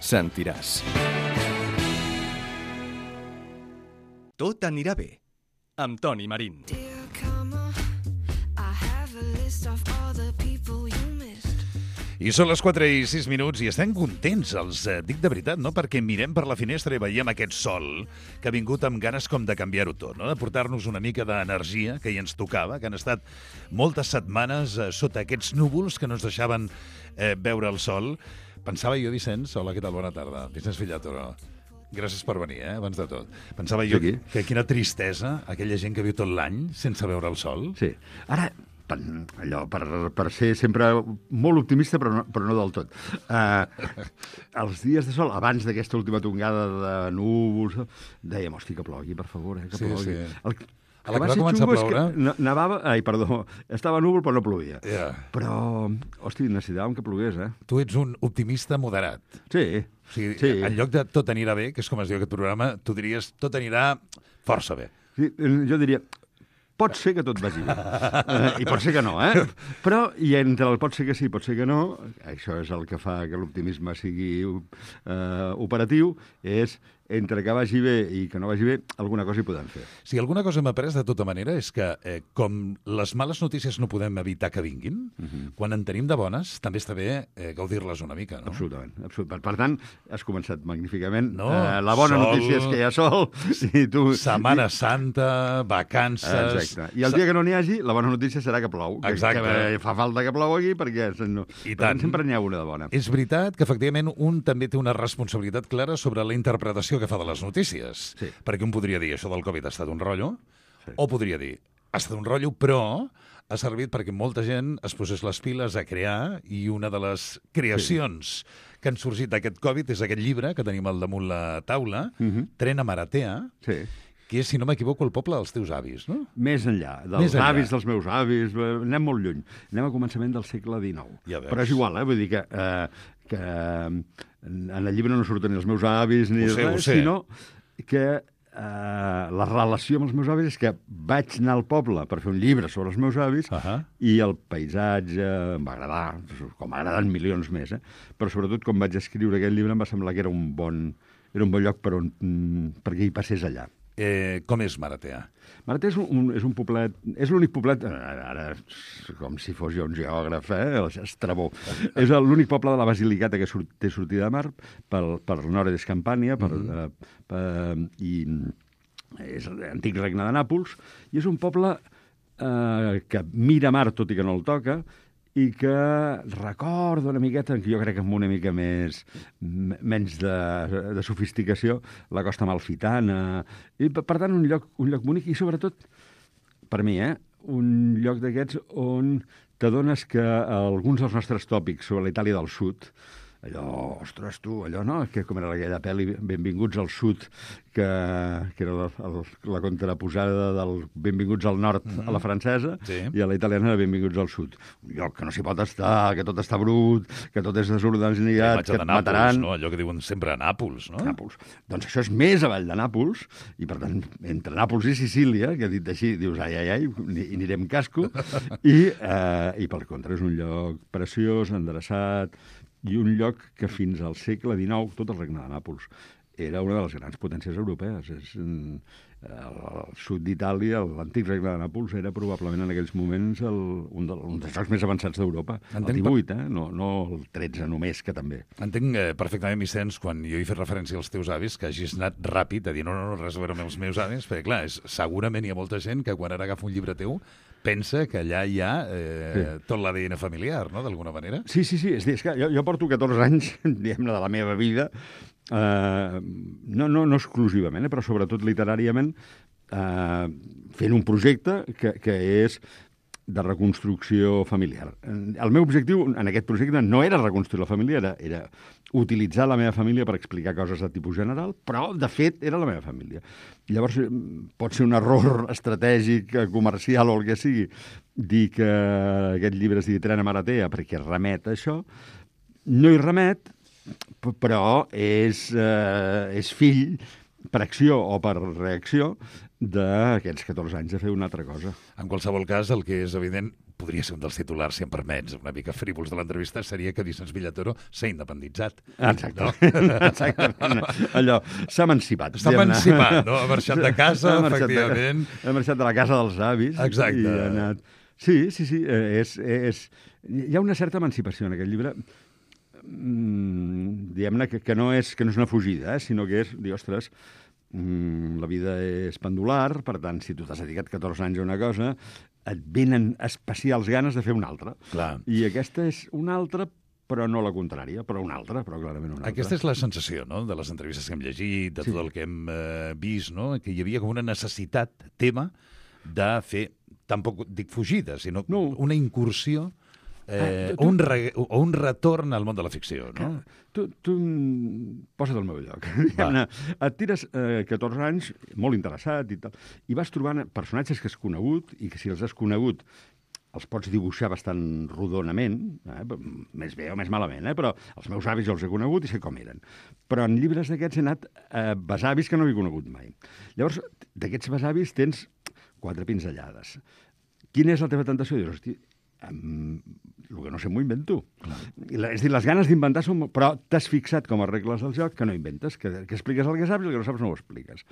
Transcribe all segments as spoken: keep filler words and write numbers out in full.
sentiràs. Tot anirà bé, amb Toni Marín. I són les quatre i sis minuts i estem contents, els eh, dic de veritat, no? Perquè mirem per la finestra i veiem aquest sol que ha vingut amb ganes com de canviar-ho tot, no? De portar-nos una mica d'energia que hi ens tocava, que han estat moltes setmanes eh, sota aquests núvols que no ens deixaven eh, veure el sol. Pensava jo, Vicenç, hola, què tal? Bona tarda. Vicenç Fillato, gràcies per venir, eh, abans de tot. Pensava jo Sí, que quina tristesa aquella gent que viu tot l'any sense veure el sol. Sí. Ara, per, allò, per, per ser sempre molt optimista, però no, però no del tot. Uh, els dies de sol, abans d'aquesta última tongada de núvols, dèiem, hosti, que plogui, per favor, eh, que Sí, plogui. sí. El, A la que va ser començar a xungo és ploure... que ne- nevava, ai, perdó, estava núvol però no plovia. Yeah. Però, hosti, necessitàvem que plogués, eh? Tu ets un optimista moderat. Sí, O sigui, sí. en lloc de tot anirà bé, que és com es diu aquest programa, tu diries tot anirà força bé. Sí, jo diria, pot ser que tot vagi bé. Uh, I pot ser que no, eh? Però, i entre el pot ser que sí, pot ser que no, això és el que fa que l'optimisme sigui uh, operatiu, és entre que vagi bé i que no vagi bé, alguna cosa hi podem fer. Si alguna cosa hem après de tota manera és que, eh, com les males notícies no podem evitar que vinguin, uh -huh. quan en tenim de bones, també està bé eh, gaudir-les una mica, no? Absolutament. absolut. Per, per tant, has començat magníficament. No, uh, la bona sol, notícia és que hi ha sol. I tu... Setmana Santa, vacances... Exacte. I el dia que no n'hi hagi, la bona notícia serà que plou. Que, Exacte. que fa falta que plogui perquè no... I per tant. sempre n'hi ha una de bona. És veritat que, efectivament, un també té una responsabilitat clara sobre la interpretació que fa de les notícies. Sí. Perquè un podria dir, això del Covid ha estat un rotllo, Sí. o podria dir, ha estat un rotllo, però ha servit perquè molta gent es posés les piles a crear, i una de les creacions sí. que han sorgit d'aquest Covid és aquest llibre que tenim al damunt la taula, uh -huh. Tren a Maratea, Sí. que és, si no m'equivoco, el poble dels teus avis, no? Més enllà, dels Més enllà. avis dels meus avis, eh, anem molt lluny. Anem a començament del segle dinou. Ja veus. Però és igual, eh? Vull dir que, eh, que eh, en el llibre no surten ni els meus avis ni Ho sé, ho res, sé. sinó que eh, la relació amb els meus avis és que vaig anar al poble per fer un llibre sobre els meus avis Uh -huh. i el paisatge em va agradar, com m'agraden milions més, eh? Però sobretot quan vaig escriure aquest llibre em va semblar que era un bon, era un bon lloc per on, mm, perquè hi passés allà. Eh, com és Maratea? Maratea és un, és un poblet, és l'únic poblet, ara, ara com si fos jo un geògraf, eh? Estrabó. És l'únic poble de la Basilicata que surt, té sortida de mar pel, per nord és Campània, per, mm -hmm. eh, per, i és l'antic regne de Nàpols, i és un poble eh, que mira mar tot i que no el toca, i que recorda una miqueta, que jo crec que amb una mica més menys de, de sofisticació, la costa amalfitana. I, per, per tant, un lloc, un lloc bonic i, sobretot, per mi, eh, un lloc d'aquests on t'adones que alguns dels nostres tòpics sobre la Itàlia del Sud, allò, ostres, tu, allò, no? Que com era aquella pel·li, Benvinguts al Sud, que, que era la, el, la contraposada del Benvinguts al Nord mm-hmm. a la francesa, Sí. i a la italiana era Benvinguts al Sud. Un lloc que no s'hi pot estar, que tot està brut, que tot és desorganitzat, que et Nàpols, mataran. no? Allò que diuen sempre a Nàpols, no? Nàpols. Doncs això és més avall de Nàpols, i per tant, entre Nàpols i Sicília, que dit així, dius, ai, ai, ai, i anirem casco, i, eh, i per contra és un lloc preciós, endreçat, i un lloc que fins al segle dinou, tot el regne de Nàpols, era una de les grans potències europees. És, el, el sud d'Itàlia, l'antic regne de Nàpols, era probablement en aquells moments el, un, de, un dels jocs més avançats d'Europa. El divuit, eh? No, no el tretze només, que també. Entenc eh, perfectament, Vicenç, quan jo he fet referència als teus avis, que hagis anat ràpid a dir no, no, no, res a veure amb els meus avis, perquè, clar, és, segurament hi ha molta gent que quan ara agafa un llibre teu pensa que allà hi ha eh, sí. tot l'A D N familiar, no?, d'alguna manera. Sí, sí, sí. És, dir, és que jo, jo porto catorze anys, diguem-ne, de la meva vida, eh, no, no, no exclusivament, eh, però sobretot literàriament, eh, fent un projecte que, que és de reconstrucció familiar. El meu objectiu en aquest projecte no era reconstruir la família, era, era utilitzar la meva família per explicar coses de tipus general, però, de fet, era la meva família. Llavors, pot ser un error estratègic, comercial o el que sigui, dir que aquest llibre es digui Tren a Maratea perquè remet a això. No hi remet, però és, eh, és fill per acció o per reacció d'aquests catorze anys de fer una altra cosa. En qualsevol cas, el que és evident, podria ser un dels titulars, si em permets, una mica frívols de l'entrevista, seria que Vicenç Villatoro s'ha independitzat. Exacte. No? Exactament. Allò, s'ha emancipat. S'ha emancipat, no? Ha marxat de casa, efectivament. Ha marxat de la casa dels avis. Exacte. I ha anat... Sí, sí, sí. És, és... Hi ha una certa emancipació en aquest llibre. Mm, diguem-ne que, que, no és, que no és una fugida, eh? Sinó que és dir, ostres, mm, la vida és pendular, per tant, si tu t'has dedicat catorze anys a una cosa, et venen especials ganes de fer una altra. Clar. I aquesta és una altra, però no la contrària, però una altra, però clarament una altra. Aquesta és la sensació, no?, de les entrevistes que hem llegit, de Sí. tot el que hem eh, vist, no?, que hi havia com una necessitat, tema, de fer, tampoc dic fugida, sinó No. una incursió eh, Ah, tu- o, un re, o un retorn al món de la ficció, no? Que, tu, tu mm, posa't al meu lloc. Diguem-ne, et tires eh, catorze anys, molt interessat i tal, i vas trobant personatges que has conegut i que si els has conegut els pots dibuixar bastant rodonament, eh? més bé o més malament, eh? Però els meus avis els he conegut i sé com eren. Però en llibres d'aquests he anat a eh, besavis que no havia conegut mai. Llavors, d'aquests besavis tens quatre pinzellades. Quina és la teva tentació? Dius, hosti, um, el que no sé m'ho invento. I la, és a dir, les ganes d'inventar són... molt- Però t'has fixat com a regles del joc que no inventes, que, que expliques el que saps i el que no saps no ho expliques.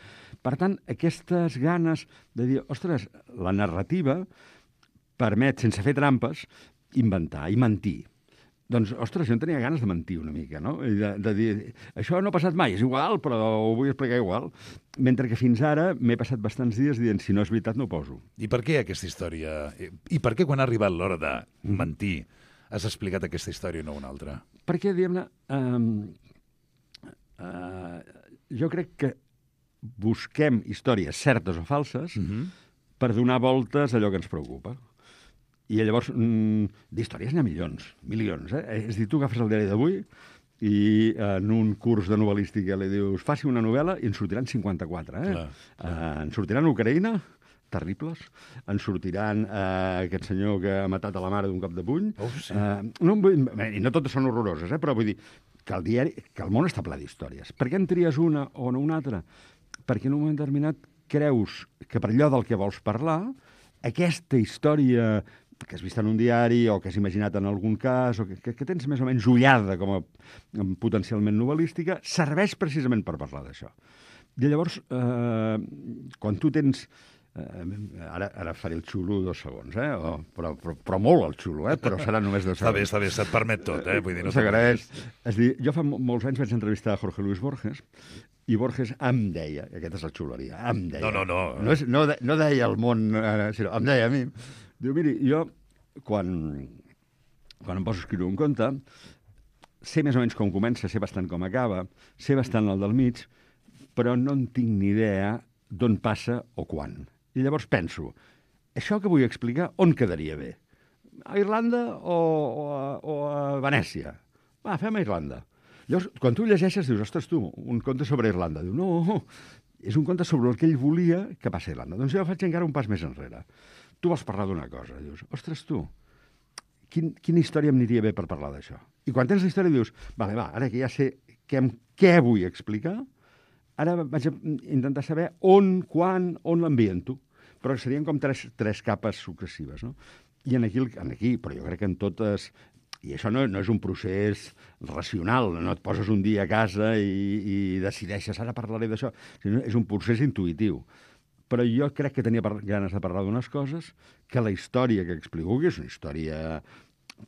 Per tant, aquestes ganes de dir, ostres, la narrativa permet, sense fer trampes, inventar i mentir. Doncs, ostres, jo en tenia ganes de mentir una mica, no? I de, de dir, això no ha passat mai, és igual, però ho vull explicar igual. Mentre que fins ara m'he passat bastants dies dient, si no és veritat, no ho poso. I per què aquesta història? I per què quan ha arribat l'hora de mentir has explicat aquesta història i no una altra? Perquè, diguem-ne, um, uh, jo crec que busquem històries certes o falses Mhm. per donar voltes a allò que ens preocupa. I llavors, mm, d'històries n'hi ha milions, milions, eh? És a dir, tu agafes el diari d'avui i en un curs de novel·lística li dius, faci una novel·la i en sortiran cinquanta-quatre, eh? Clar, Uh, en sortiran Ucraïna, terribles, en sortiran uh, aquest senyor que ha matat a la mare d'un cop de puny. Oh, sí. uh, no, vull- I no totes són horroroses, eh? Però vull dir que el diari, que el món està ple d'històries. Per què en tries una o no una altra? Perquè en un moment determinat creus que per allò del que vols parlar, aquesta història que has vist en un diari o que has imaginat en algun cas o que, que, que tens més o menys ullada com a em, potencialment novel·lística, serveix precisament per parlar d'això. I llavors, eh, quan tu tens... Eh, ara, ara faré el xulo dos segons, eh? O, però, però, però molt el xulo, eh? Però serà només dos Està segons. bé, està bé, se't permet tot, eh? Vull dir, no S'agraeix. És a dir, jo fa mo- molts anys vaig entrevistar a Jorge Luis Borges i Borges em deia, i aquesta és la xuleria, em deia... No, no, no. No, és, no, de, no deia el món, eh, sinó em deia a mi. Diu, miri, jo, quan, quan em poso a escriure un conte, sé més o menys com comença, sé bastant com acaba, sé bastant el del mig, però no en tinc ni idea d'on passa o quan. I llavors penso, això que vull explicar, on quedaria bé? A Irlanda o, o, a, o a Venècia? Va, fem a Irlanda. Llavors, quan tu llegeixes, dius, ostres, tu, un conte sobre Irlanda. Diu, no, és un conte sobre el que ell volia que passi a Irlanda. Doncs jo faig encara un pas més enrere. Tu vols parlar d'una cosa. Dius, ostres, tu, quin, quina història em aniria bé per parlar d'això? I quan tens la història dius, vale, va, ara que ja sé què, em- què vull explicar, ara vaig a intentar saber on, quan, on l'ambiento. Però serien com tres, tres capes successives, no? I en aquí, en aquí, però jo crec que en totes... I això no, no és un procés racional, no et poses un dia a casa i, i decideixes, ara parlaré d'això, sinó és un procés intuïtiu. Però jo crec que tenia par- ganes de parlar d'unes coses que la història que explico, que és una història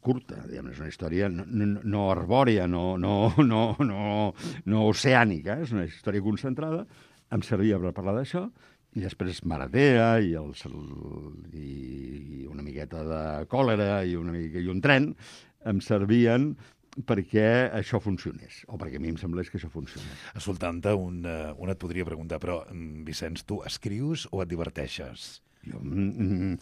curta, diguem, és una història no, no, no arbòria, no, no, no, no, no oceànica, és una història concentrada, em servia per parlar d'això, i després Maratea i, el, i una miqueta de còlera i, una mica, i un tren em servien perquè això funcionés, o perquè a mi em semblés que això funcionés. Escoltant-te, un, uh, un et podria preguntar, però, mm, Vicenç, tu escrius o et diverteixes? Jo, mm,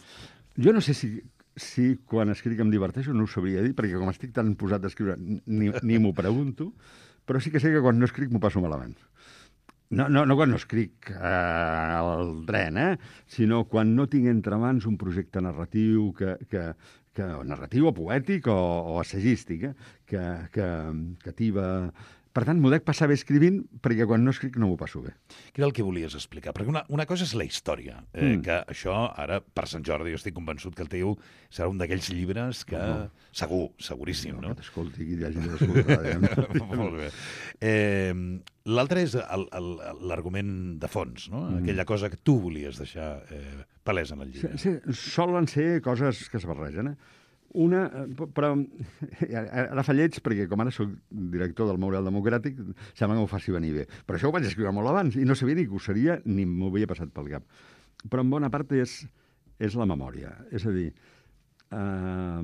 jo no sé si, si quan escric em diverteixo, no ho sabria dir, perquè com estic tan posat a escriure ni, ni m'ho pregunto, però sí que sé que quan no escric m'ho passo malament. No, no, no quan no escric eh, al tren, eh? Sinó quan no tinc entre mans un projecte narratiu, que, que, que, narratiu o poètic o, o assagístic, eh? que, que, que tiba Per tant, m'ho dec passar bé escrivint, perquè quan no escric no m'ho passo bé. Què era el que volies explicar? Perquè una, una cosa és la història, eh, Mm. que això, ara, per Sant Jordi, jo estic convençut que el teu serà un d'aquells llibres que... No. Segur, seguríssim, no? Que t'escolti, que hi hagi d'escoltar. Molt bé. Eh, L'altre és el- el- l'argument de fons, no? Mm. Aquella cosa que tu volies deixar eh, palesa en el Sí, llibre. sí, solen ser coses que es barregen, eh? Una, eh, però ara fa lleig, perquè com ara soc director del Memorial Democràtic, sembla que m'ho faci venir bé. Però això ho vaig escriure molt abans i no sabia ni que ho seria ni m'ho havia passat pel cap. Però en bona part és, és la memòria. És a dir, eh,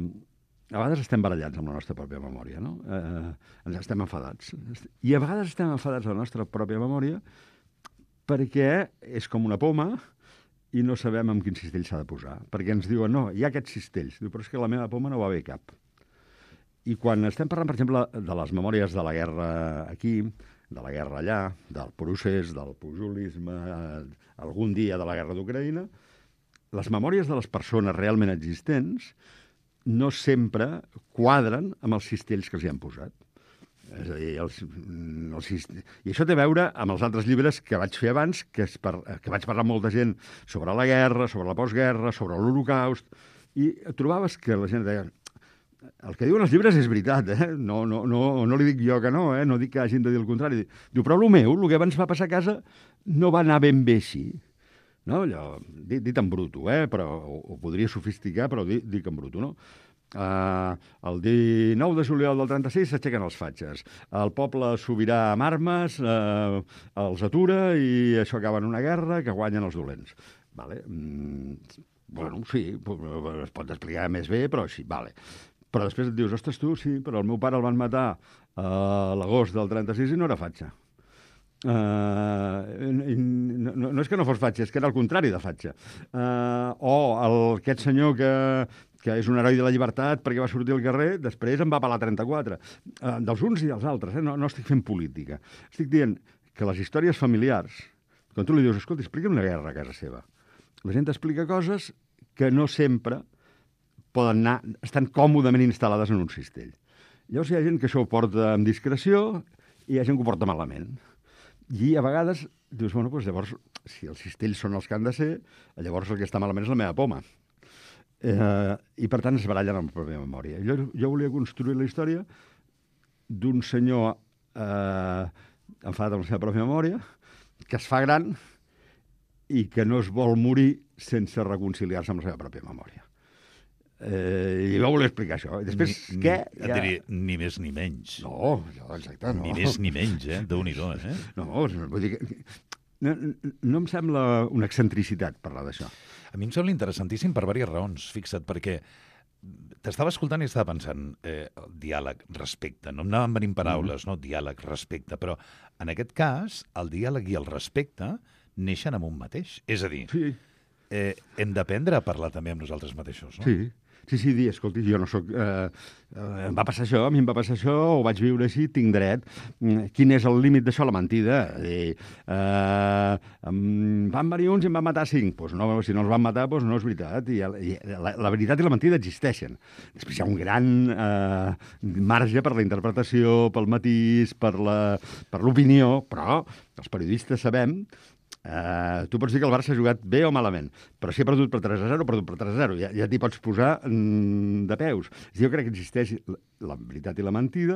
a vegades estem barallats amb la nostra pròpia memòria, no? Eh, ens estem enfadats. I a vegades estem enfadats amb la nostra pròpia memòria perquè és com una poma i no sabem amb quin cistell s'ha de posar. Perquè ens diuen, no, hi ha aquests cistells. Diu, però és que la meva poma no va bé cap. I quan estem parlant, per exemple, de les memòries de la guerra aquí, de la guerra allà, del procés, del pujolisme, eh, algun dia de la guerra d'Ucraïna, les memòries de les persones realment existents no sempre quadren amb els cistells que els hi han posat. És a dir, els, els, i això té a veure amb els altres llibres que vaig fer abans, que, es par, que vaig parlar amb molta gent sobre la guerra, sobre la postguerra, sobre l'Holocaust, i trobaves que la gent deia el que diuen els llibres és veritat, eh? no, no, no, no li dic jo que no, eh? No dic que hagin de dir el contrari. Diu, però el meu, el que abans va passar a casa, no va anar ben bé així. No? Allò, dit, dit en bruto, eh? Però ho, ho podria sofisticar, però dic, dic en bruto, no? Uh, el dinou de juliol del trenta-sis s'aixequen els fatxes. El poble sobirà amb armes, uh, els atura i això acaba en una guerra que guanyen els dolents. Vale? Mm, bueno, sí, es pot explicar més bé, però sí, vale. Però després et dius, ostres, tu, sí, però el meu pare el van matar a l'agost del trenta-sis i no era fatxa. Uh, no, no, no és que no fos fatxa, és que era el contrari de fatxa. Uh, o el, aquest senyor que, que és un heroi de la llibertat perquè va sortir al carrer, després en va pelar trenta-quatre. Uh, dels uns i dels altres, eh? no, no estic fent política. Estic dient que les històries familiars, quan tu li dius, escolta, explica'm una guerra a casa seva, la gent explica coses que no sempre poden anar, estan còmodament instal·lades en un cistell. Llavors hi ha gent que això ho porta amb discreció i hi ha gent que ho porta malament. I a vegades dius, bueno, doncs llavors, si els cistells són els que han de ser, llavors el que està malament és la meva poma. Eh, I per tant es barallen amb la pròpia memòria. Jo, jo volia construir la història d'un senyor eh, enfadat amb la seva pròpia memòria, que es fa gran i que no es vol morir sense reconciliar-se amb la seva pròpia memòria. Eh, I jo volia explicar això. I després, ni, què? Ni, ja... diria, ni més ni menys. No, exacte, no. Ni més ni menys, eh? Déu-n'hi-do, eh? No, vull dir que... No, no em sembla una excentricitat parlar d'això. A mi em sembla interessantíssim per diverses raons, fixa't, perquè t'estava escoltant i estava pensant eh, diàleg, respecte. No em anaven venint paraules, mm. no? Diàleg, respecte. Però en aquest cas, el diàleg i el respecte neixen amb un mateix. És a dir, sí. eh, hem d'aprendre a parlar també amb nosaltres mateixos, no? Sí. Sí, sí, dir, escolti, jo no sóc... Eh, eh, em va passar això, a mi em va passar això, ho vaig viure així, tinc dret. Quin és el límit d'això? La mentida. Eh, eh, em van venir uns i em van matar cinc. Pues no, si no els van matar, pues no és veritat. I, i la, la veritat i la mentida existeixen. Després hi ha un gran eh, marge per la interpretació, pel matís, per l'opinió, però els periodistes sabem... Uh, tu pots dir que el Barça ha jugat bé o malament, però si ha perdut per tres a zero, ha perdut per tres a zero. Ja, ja t'hi pots posar mm, de peus. Jo crec que existeix la, la veritat i la mentida,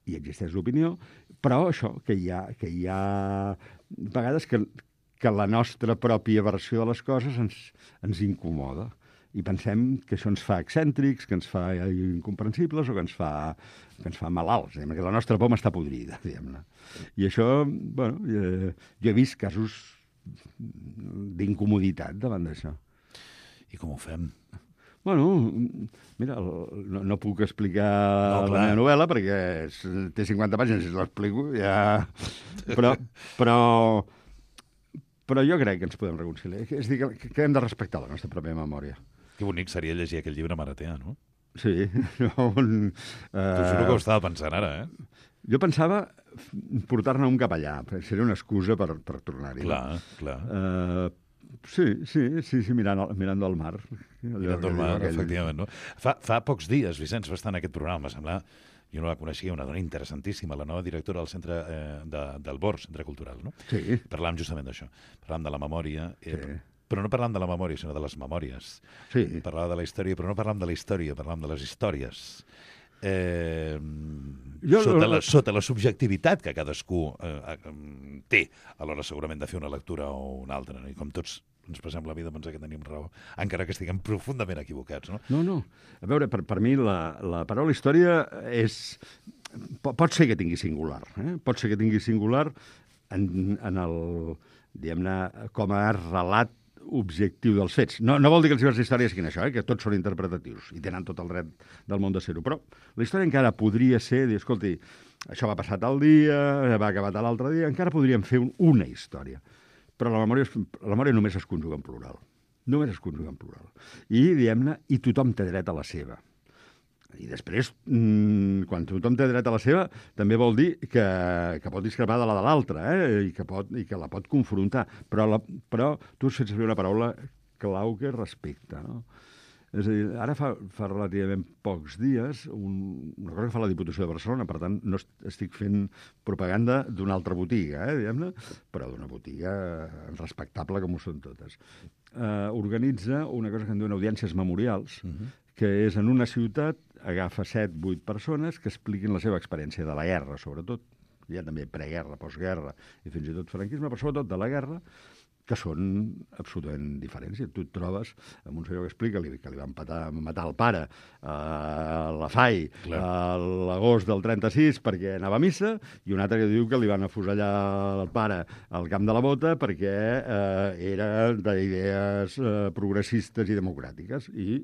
i existeix l'opinió, però això, que hi ha, que hi ha vegades que, que la nostra pròpia versió de les coses ens, ens incomoda. I pensem que això ens fa excèntrics, que ens fa incomprensibles o que ens fa, que ens fa malalts, diguem, que la nostra poma està podrida, diguem-ne. I això, bueno, eh, jo he vist casos d'incomoditat davant d'això. I com ho fem? Bueno, mira, el, no, no puc explicar no, la meva novel·la perquè és, té cinquanta pàgines, si l'explico ja... Però, però, però jo crec que ens podem reconciliar. És a dir, que, que hem de respectar la nostra pròpia memòria. Que bonic seria llegir aquell llibre Maratea, no? Sí. No, un, uh... T'ho juro que ho estava pensant ara, eh? Jo pensava portar-ne un cap allà, seria una excusa per, per tornar-hi. Clar, clar. Uh, sí, sí, sí, sí, mirant, mirant del mar. Mirant del mar, aquell... efectivament. No? Fa, fa pocs dies, Vicenç, va estar en aquest programa, va semblar jo no la coneixia, una dona interessantíssima, la nova directora del centre eh, de, del B O R, Centre Cultural, no? Sí. Parlàvem justament d'això. Parlàvem de la memòria, eh, Sí. però no parlàvem de la memòria, sinó de les memòries. Sí. Parlàvem de la història, però no parlàvem de la història, parlàvem de les històries. Eh, Jo- sota, la, sota la subjectivitat que cadascú eh, eh, té a l'hora segurament de fer una lectura o una altra, no? I com tots ens passem la vida a pensar que tenim raó, encara que estiguem profundament equivocats, no? No, no. A veure, per, per mi la, la paraula història és... po- Pot ser que tingui singular, eh? Pot ser que tingui singular en, en el, diguem-ne, com a relat objectiu dels fets. No, no vol dir que els llibres d'història siguin això, eh? Que tots són interpretatius i tenen tot el dret del món de ser-ho, però la història encara podria ser, dir, escolti, això va passar tal dia, va acabar tal altre dia, encara podríem fer un, una història. Però la memòria, és- la memòria només es conjuga en plural. Només es conjuga en plural. I, diguem-ne, i tothom té dret a la seva. I després, mmm, quan tothom té dret a la seva, també vol dir que, que pot discrepar de la de l'altre, eh? I, que pot, i que la pot confrontar. Però, la, però tu has fet servir una paraula clau que és respecte, no? És a dir, ara fa, fa relativament pocs dies, un, una cosa que fa la Diputació de Barcelona, per tant, no est- estic fent propaganda d'una altra botiga, eh, diguem-ne, però d'una botiga respectable com ho són totes. Eh, organitza una cosa que en diuen audiències memorials, uh -huh. que és en una ciutat, agafa set, vuit persones que expliquin la seva experiència de la guerra, sobretot, hi ha també preguerra, postguerra i fins i tot franquisme, però sobretot de la guerra, que són absolutament diferents. I tu et trobes amb un senyor que explica li, que li van patar, matar el pare a la F A I a l'agost del trenta-sis perquè anava a missa, i un altre que diu que li van afusellar el pare al Camp de la Bota perquè eh, era d'idees eh, progressistes i democràtiques. I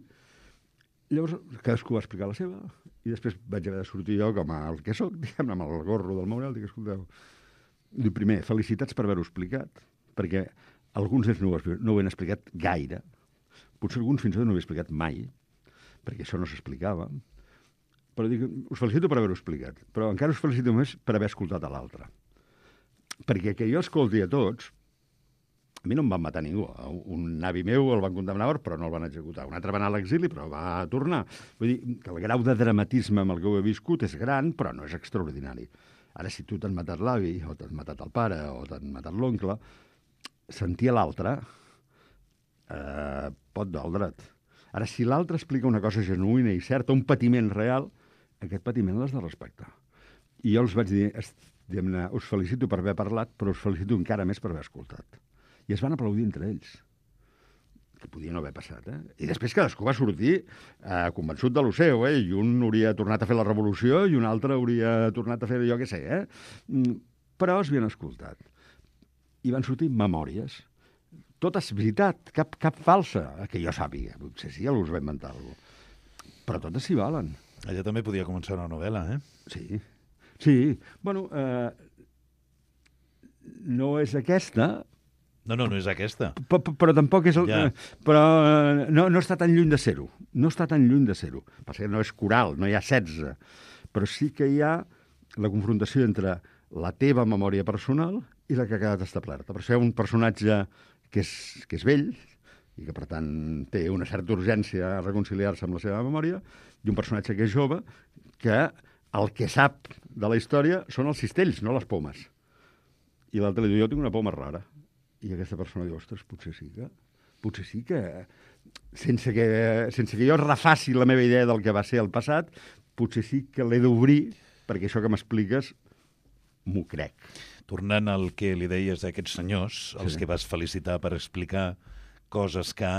llavors cadascú va explicar la seva, i després vaig haver de sortir jo com el que soc, diguem amb el gorro del Memorial, dic, escolteu, dic, primer, felicitats per haver-ho explicat, perquè alguns d'ells no, ho has- no ho han explicat gaire, potser alguns fins i tot no ho he explicat mai, perquè això no s'explicava, però dic, us felicito per haver-ho explicat, però encara us felicito més per haver escoltat a l'altre. Perquè que jo escolti a tots, a mi no em van matar ningú. Un avi meu el van condemnar, però no el van executar. Un altre va anar a l'exili, però va tornar. Vull dir que el grau de dramatisme amb el que ho he viscut és gran, però no és extraordinari. Ara, si tu t'han matat l'avi, o t'han matat el pare, o t'han matat l'oncle, sentir l'altre eh, pot doldre't. Ara, si l'altre explica una cosa genuïna i certa, un patiment real, aquest patiment l'has de respectar. I jo els vaig dir, es- diguem-ne, us felicito per haver parlat, però us felicito encara més per haver escoltat. I es van aplaudir entre ells, que podia no haver passat, eh? I després cadascú va sortir eh, convençut de lo seu, eh? I un hauria tornat a fer la revolució i un altre hauria tornat a fer jo què sé, eh? Mm, Però es havien escoltat. I van sortir memòries. Totes veritat, cap, cap falsa, que jo sàpiga. Potser sí, algú us va inventar alguna cosa. Però totes s'hi valen. Allà també podia començar una novel·la, eh? Sí. Sí. Bueno, eh, no és aquesta, No, no, no és aquesta. però, però tampoc és... El, Ja. ja. Però eh, no, no està tan lluny de ser-ho. No està tan lluny de ser-ho. Passa que no és coral, no hi ha setze. Però sí que hi ha la confrontació entre la teva memòria personal i la que ha quedat establerta. Per això hi ha un personatge que és, que és vell i que, per tant, té una certa urgència a reconciliar-se amb la seva memòria, i un personatge que és jove que el que sap de la història són els cistells, no les pomes. I l'altre li diu, jo tinc una poma rara. I aquesta persona diu, ostres, potser sí que... Potser sí que... Sense que, sense que jo refaci la meva idea del que va ser el passat, potser sí que l'he d'obrir, perquè això que m'expliques m'ho crec. Tornant al que li deies d'aquests senyors, els Sí. que vas felicitar per explicar coses que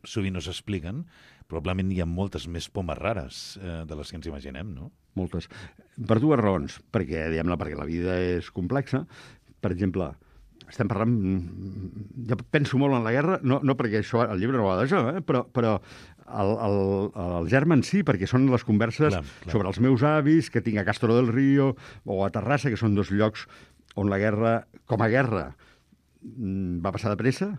sovint no s'expliquen, probablement hi ha moltes més pomes rares eh, de les que ens imaginem, no? Moltes. Per dues raons. Perquè, diguem-ne, perquè la vida és complexa. Per exemple, estem parlant... Jo penso molt en la guerra, no, no perquè això, el llibre no va d'això, eh? però, però el, el, el germen sí, perquè són les converses Clar, clar. sobre els meus avis que tinc a Castro del Río o a Terrassa, que són dos llocs on la guerra, com a guerra, mm, va passar de pressa,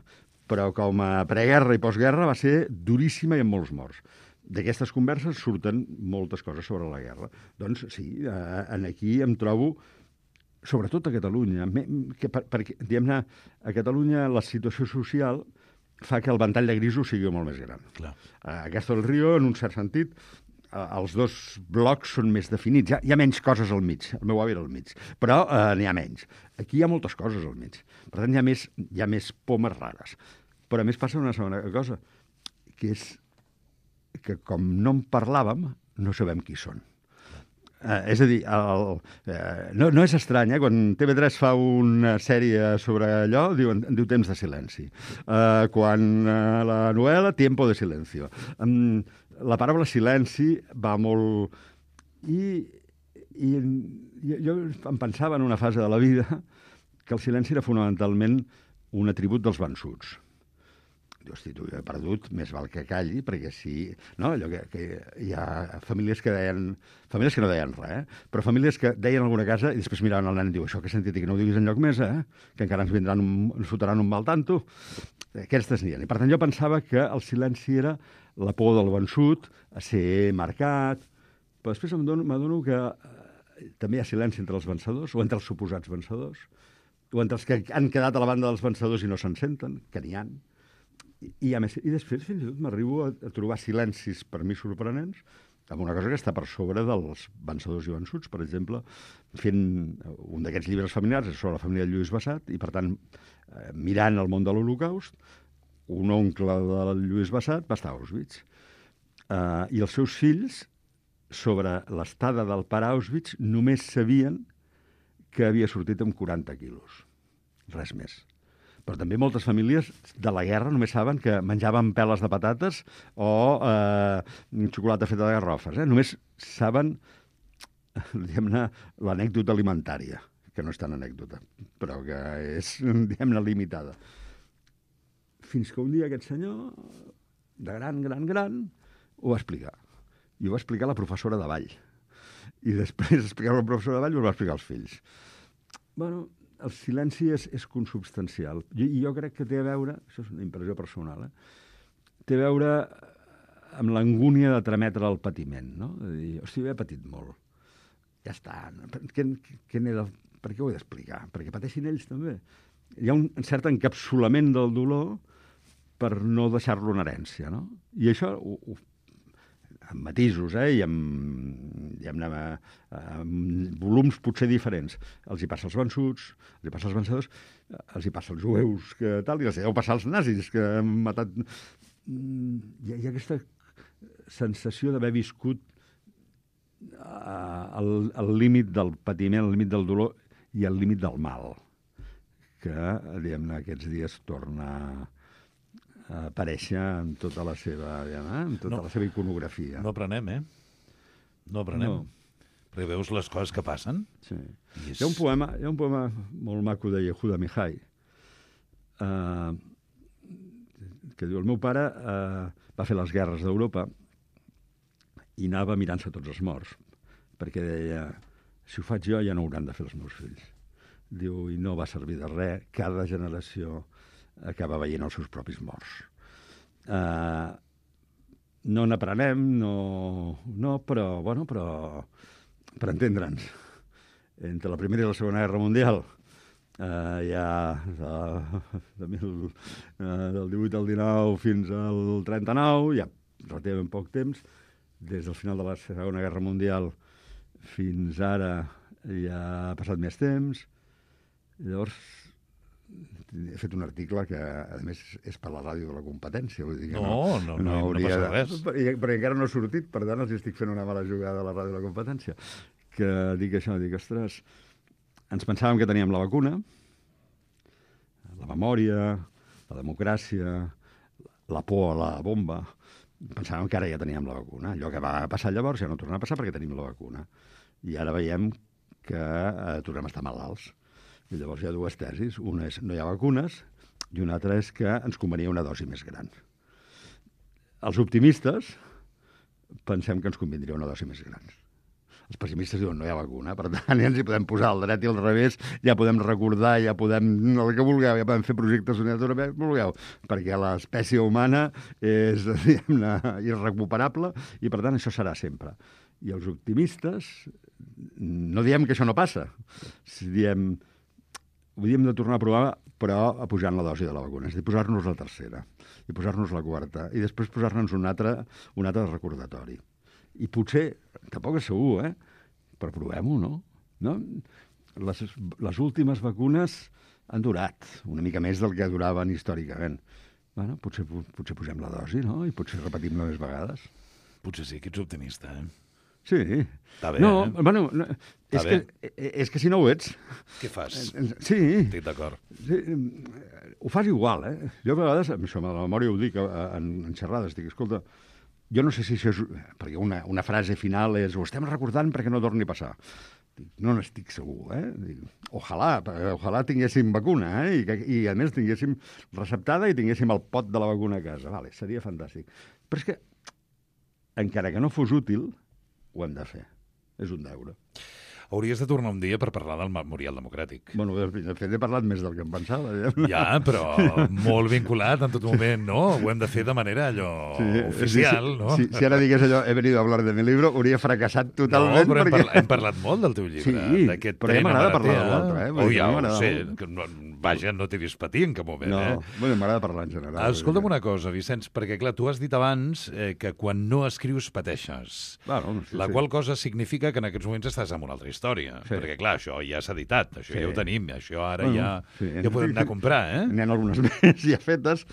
però com a preguerra i postguerra va ser duríssima i amb molts morts. D'aquestes converses surten moltes coses sobre la guerra. Doncs sí, eh, en aquí em trobo, sobretot a Catalunya, me, que per, perquè, diguem-ne, a Catalunya la situació social fa que el ventall de grisos sigui molt més gran. Clar. A Castro del Río, en un cert sentit, els dos blocs són més definits. Hi ha, hi ha menys coses al mig. El meu avi era al mig. Però eh, n'hi ha menys. Aquí hi ha moltes coses al mig. Per tant, hi ha més, hi ha més pomes rares. Però a més passa una segona cosa, que és que com no en parlàvem, no sabem qui són. Eh, és a dir, el, eh, no, no és estrany, eh? Quan T V tres fa una sèrie sobre allò, diuen, diu Temps de silenci. Eh, quan eh, la novel·la, Tiempo de silencio. Um, la paraula silenci va molt... I, i jo, jo em pensava en una fase de la vida que el silenci era fonamentalment un atribut dels vençuts. Hosti, tu, jo he perdut, més val que calli, perquè sí... No, allò que, que hi ha famílies que deien... Famílies que no deien res, eh? Però famílies que deien alguna cosa i després miraven el nen i diuen això que he sentit i que no ho diguis enlloc més, eh? Que encara ens vindran un, ens fotran un mal tanto. Aquestes n'hi ha. I per tant jo pensava que el silenci era la por del vençut, a ser marcat... Però després m'adono que eh, també hi ha silenci entre els vencedors, o entre els suposats vencedors, o entre els que han quedat a la banda dels vencedors i no se'n senten, que n'hi ha. I, a més, i després fins i tot m'arribo a, a trobar silencis per mi sorprenents amb una cosa que està per sobre dels vencedors i vençuts. Per exemple, fent un d'aquests llibres familiars sobre la família de Lluís Bassat i, per tant, eh, mirant el món de l'Holocaust, un oncle de Lluís Bassat va estar a Auschwitz. Eh, I els seus fills, sobre l'estada del pare a Auschwitz, només sabien que havia sortit amb quaranta quilos. Res més. Però també moltes famílies de la guerra només saben que menjaven peles de patates o eh, xocolata feta de garrofes. Eh? Només saben, diguem-ne, l'anècdota alimentària, que no és tan anècdota, però que és, diguem-ne, limitada. Fins que un dia aquest senyor, de gran, gran, gran, ho va explicar. I ho va explicar la professora de ball. I després d'explicar la professora de ball ho va explicar als fills. Bueno, el silenci és, és consubstancial. I jo, jo crec que té a veure, això és una impressió personal, eh? té a veure amb l'angúnia de trametre el patiment, no? De dir, hosti, he patit molt. Ja està. Què, què n'he de... Per què ho he d'explicar? Perquè pateixin ells també. Hi ha un cert encapsulament del dolor per no deixar-lo en herència, no? I això ho, ho amb matisos, eh, i amb, diguem-ne, amb volums potser diferents. Els hi passa als vençuts, els hi passa als vencedors, els hi passa als jueus, que tal, i els hi deu passar als nazis, que han matat... Hi ha, hi ha aquesta sensació d'haver viscut al, al límit del patiment, al límit del dolor i al límit del mal, que, diguem-ne, aquests dies torna a aparèixer en tota la seva, diguem, eh? en tota no, la seva iconografia. No aprenem, eh? No aprenem. No. Perquè veus les coses que passen. Sí. És... Hi ha un poema, hi ha un poema molt maco de Yehuda Mihai, eh, que diu, el meu pare eh, va fer les guerres d'Europa i anava mirant-se tots els morts, perquè deia, si ho faig jo ja no ho hauran de fer els meus fills. Diu, i no va servir de res, cada generació acaba veient els seus propis morts. Uh, no n'aprenem, no, no, però, bueno, però per entendre'ns, entre la Primera i la Segona Guerra Mundial, uh, ja de, de mil, uh, del divuit al dinou fins al trenta-nou, ja relativament poc temps, des del final de la Segona Guerra Mundial fins ara ja ha passat més temps. Llavors, he fet un article que, a més, és per la ràdio de la competència. Vull dir que no, no, no, no, hauria no passa res. De... Perquè encara no ha sortit, per tant, els estic fent una mala jugada a la ràdio de la competència. Que dic això, dic, ostres, ens pensàvem que teníem la vacuna, la memòria, la democràcia, la por a la bomba. Pensàvem que ara ja teníem la vacuna. Allò que va passar llavors ja no torna a passar perquè tenim la vacuna. I ara veiem que eh, tornem a estar malalts. I llavors hi ha dues tesis. Una és no hi ha vacunes i una altra és que ens convenia una dosi més gran. Els optimistes pensem que ens convindria una dosi més gran. Els pessimistes diuen no hi ha vacuna, per tant ja ens hi podem posar al dret i al revés, ja podem recordar, ja podem el que vulgueu, ja podem fer projectes d'unitat europea, vulgueu, perquè l'espècie humana és, diguem-ne, irrecuperable i per tant això serà sempre. I els optimistes no diem que això no passa, si diem ho hauríem de tornar a provar, però pujant la dosi de la vacuna. És a dir, posar-nos la tercera, i posar-nos la quarta, i després posar-nos un altre, un altre recordatori. I potser, tampoc és segur, eh? Però provem-ho, no? no? Les, les últimes vacunes han durat una mica més del que duraven històricament. Bueno, potser, potser posem la dosi, no? I potser repetim-la més vegades. Potser sí que ets optimista, eh? Sí. Està bé, no, eh? Bueno, no, és, bé. que, és que si no ho ets... Què fas? Sí. Estic d'acord. Sí, ho fas igual, eh? Jo a vegades, amb això, amb la memòria ho dic en, en xerrades, dic, escolta, jo no sé si això és... Perquè una, una frase final és ho estem recordant perquè no torni a passar. Dic, no n'estic segur, eh? Dic, ojalà, ojalà tinguéssim vacuna, eh? I, que, I a més tinguéssim receptada i tinguéssim el pot de la vacuna a casa. Vale, seria fantàstic. Però és que, encara que no fos útil, ho hem de fer. És un deure. Hauries de tornar un dia per parlar del Memorial Democràtic. Bueno, de fet, he parlat més del que em pensava. Ja, però molt vinculat en tot moment, no? Ho hem de fer de manera allò sí, oficial, sí, no? Sí, si ara digués allò, he venido a hablar de mi libro, hauria fracassat totalment. No, però perquè... hem, parlat, hem parlat molt del teu llibre. Sí, però ja m'agrada parlar de l'altre, eh? Oh, ja ho sé. Que no, vaja, no t'he vist patir en cap moment, no, eh? No, bueno, m'agrada parlar en general. Escolta'm una cosa, Vicenç, perquè, clar, tu has dit abans eh, que quan no escrius pateixes. Bueno, sí, la sí. qual cosa significa que en aquests moments estàs en una altra història. Sí. Perquè, clar, això ja s'ha editat, això sí. ja ho tenim, això ara bueno, ja, sí. ja podem anar a comprar, eh? N'hi ha algunes més ja fetes,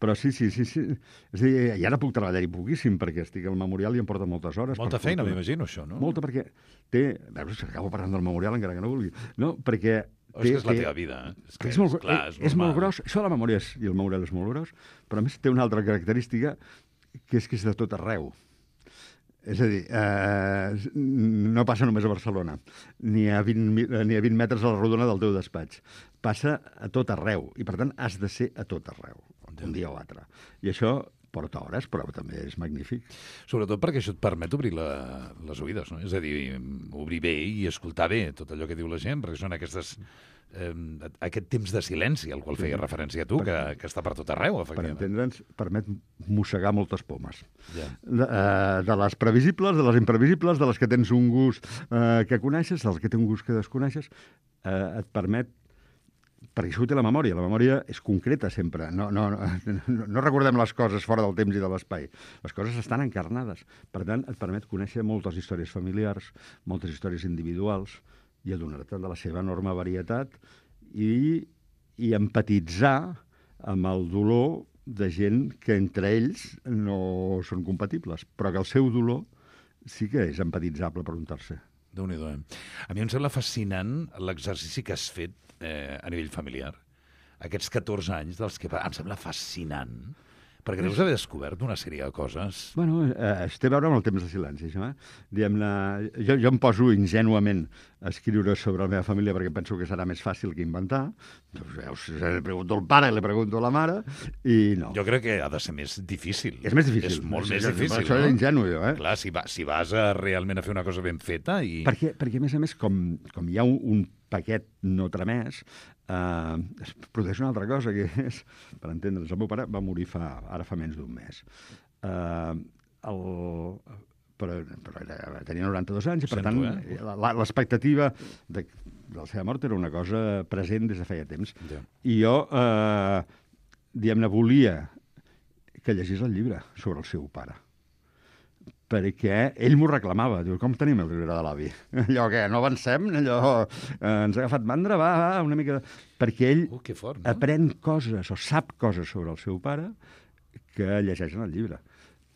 però sí, sí, sí. sí. És a dir, i ara puc treballar-hi poquíssim, perquè estic al Memorial i em porta moltes hores. Molta per feina, m'imagino, això, no? Molta, perquè té... Veus, acabo parlant del Memorial encara que no vulgui. No, perquè... Oh, és que és la teva vida. És, que és, molt, és, clar, és, és molt gros. Això de la memòria és, i el Memorial és molt gros, però a més té una altra característica, que és que és de tot arreu. És a dir, eh, no passa només a Barcelona, ni a, vint, ni a vint metres a la rodona del teu despatx. Passa a tot arreu, i per tant has de ser a tot arreu, un dia o altre. I això porta hores, però també és magnífic. Sobretot perquè això et permet obrir la, les oïdes, no? És a dir, obrir bé i escoltar bé tot allò que diu la gent, perquè són aquestes... Eh, aquest temps de silenci al qual feia referència a tu, que, que està per tot arreu, efectivament. Per entendre'ns, permet mossegar moltes pomes. Ja. De, eh, de les previsibles, de les imprevisibles, de les que tens un gust eh, que coneixes, dels que té un gust que desconeixes, eh, et permet... Perquè això ho té la memòria. La memòria és concreta sempre. No, no, no, no recordem les coses fora del temps i de l'espai. Les coses estan encarnades. Per tant, et permet conèixer moltes històries familiars, moltes històries individuals, i adonar-te de la seva enorme varietat i, i empatitzar amb el dolor de gent que entre ells no són compatibles, però que el seu dolor sí que és empatitzable per un tercer. Déu-n'hi-do, eh? A mi em sembla fascinant l'exercici que has fet eh, a nivell familiar. Aquests catorze anys dels que... Em sembla fascinant. Perquè deus haver descobert una sèrie de coses. Bueno, eh, es té a veure amb el temps de silenci, això, eh? Diguem-ne, jo, jo em poso ingenuament a escriure sobre la meva família perquè penso que serà més fàcil que inventar. Doncs veus, li pregunto al pare, li pregunto a la mare, i no. Jo crec que ha de ser més difícil. És més difícil. És molt és, més és, difícil, això no? és ingenu, jo, eh? Clar, si, va, si vas a, realment a fer una cosa ben feta i... Perquè, perquè a més a més, com, com hi ha un, un paquet no tramès, eh, es produeix una altra cosa, que és, per entendre'ns, el meu pare va morir fa, ara fa menys d'un mes. Eh, el, però però era, tenia noranta-dos anys, i per Sento, tant, eh? l'expectativa de, de la seva mort era una cosa present des de feia temps. Ja. I jo, eh, diguem-ne, volia que llegís el llibre sobre el seu pare, perquè ell m'ho reclamava. Diu, com tenim el llibre de l'avi? Allò que no avancem, allò eh, ens ha agafat mandra, va, va, una mica... De... Perquè ell Uh, que fort, no? aprèn coses o sap coses sobre el seu pare que llegeix en el llibre.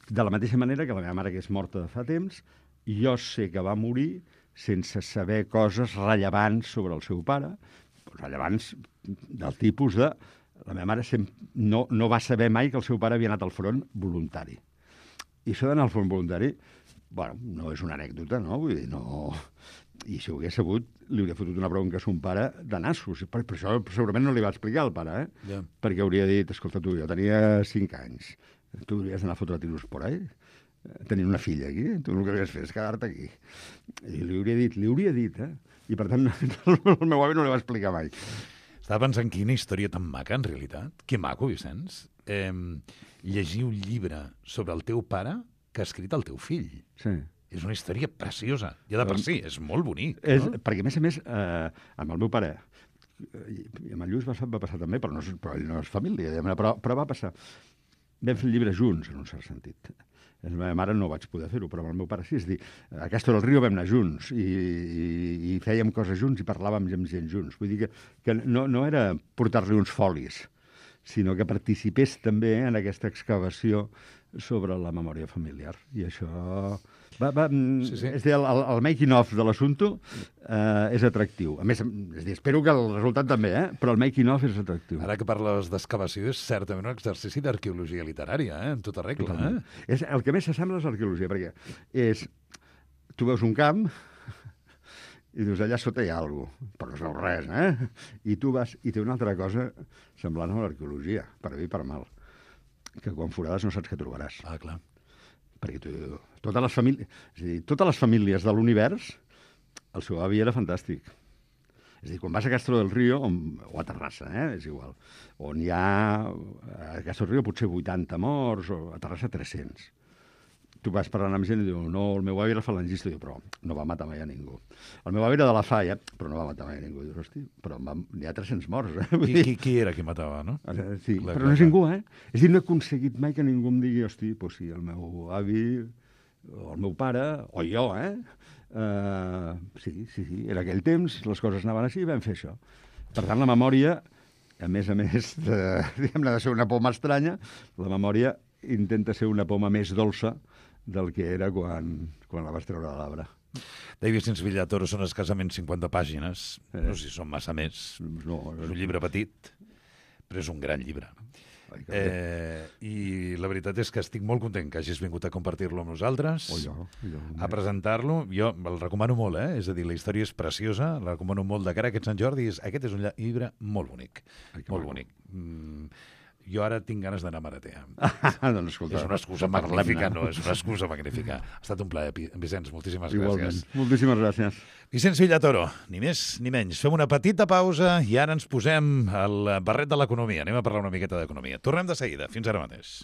De la mateixa manera que la meva mare, que és morta de fa temps, jo sé que va morir sense saber coses rellevants sobre el seu pare, rellevants del tipus de... La meva mare sempre no, no va saber mai que el seu pare havia anat al front voluntari. I això d'anar al front voluntari, bueno, no és una anècdota, no? Vull dir, no... I si ho hagués sabut, li hauria fotut una bronca a son pare de nassos. Per, per això segurament no li va explicar al pare, eh? Ja. Perquè hauria dit, escolta, tu, jo tenia cinc anys, tu hauries d'anar a fotre tiros por ahí, tenint una filla aquí, tu el que hauries fet és quedar-te aquí. I li hauria dit, li hauria dit, eh? I per tant, el meu avi no li va explicar mai. Estava pensant quina història tan maca, en realitat. Que maco, Vicenç. Eh, llegir un llibre sobre el teu pare que ha escrit el teu fill. Sí. És una història preciosa. Ja de per si, és molt bonic. És, No? perquè, a més a més, eh, amb el meu pare, i amb el Lluís va, va passar també, però, no és, però ell no és família, diguem-ne, però, però va passar. Vam fer el llibre junts, en un cert sentit. La meva mare no vaig poder fer-ho, però amb el meu pare sí. És a dir, a Castro del Río vam anar junts i, i, i fèiem coses junts i parlàvem amb gent junts. Vull dir que, que no, no era portar-li uns folis, sinó que participés també en aquesta excavació sobre la memòria familiar. I això... Va, va, sí, sí. És a dir, el, el making-of de l'assumpte eh, és atractiu. A més, és a dir, espero que el resultat també, eh? Però el making-of és atractiu. Ara que parles d'excavació, és certament un exercici d'arqueologia literària, eh? En tota regla. Eh? És, el que més s'assembla és l'arqueologia, perquè és... Tu veus un camp i dius, allà sota hi ha alguna cosa, però no es veu res, eh? I tu vas... I té una altra cosa semblant a l'arqueologia, per bé i per mal, que quan forades no saps què trobaràs. Ah, clar. Perquè tu, totes les famílies, és a dir, totes les famílies de l'univers, el seu avi era fantàstic. És a dir, quan vas a Castro del Río, on, o a Terrassa, eh, és igual, on hi ha, a Castro del Río potser vuitanta morts, o a Terrassa tres-cents. Tu vas parlant amb gent i diu, no, el meu avi era falangista, i diu, però no va matar mai a ningú. El meu avi era de la Falla, però no va matar mai a ningú. I dius, hosti, però n'hi ha tres-cents morts, eh? Qui, qui, qui era qui matava, no? Sí, la, però no és ningú, eh? És a dir, no he aconseguit mai que ningú em digui, hosti, doncs sí, el meu avi, o el meu pare, o jo, eh? Uh, sí, sí, sí, era aquell temps, les coses anaven així i vam fer això. Per tant, la memòria, a més a més de, diguem-ne, de ser una poma estranya, la memòria intenta ser una poma més dolça del que era quan, quan la vas treure de l'arbre. David Sins Villatoro són escassament cinquanta pàgines. Eh. No sé si són massa més. No, és un llibre petit, però és un gran llibre. Ai, eh, I la veritat és que estic molt content que hagis vingut a compartir-lo amb nosaltres, oh, jo, jo, a presentar-lo. Jo el recomano molt, eh? És a dir, la història és preciosa, la recomano molt de cara a aquest Sant Jordi. Aquest és un llibre molt bonic, Ai, molt bonic. Mm, jo ara tinc ganes d'anar a Maratea. Ah, doncs, escolta, és una excusa magnífica, no, és una excusa magnífica. Ha estat un plaer, Vicenç, moltíssimes Igualment. gràcies. Moltíssimes gràcies. Vicenç Villatoro, ni més ni menys. Fem una petita pausa i ara ens posem el barret de l'economia. Anem a parlar una miqueta d'economia. Tornem de seguida. Fins ara mateix.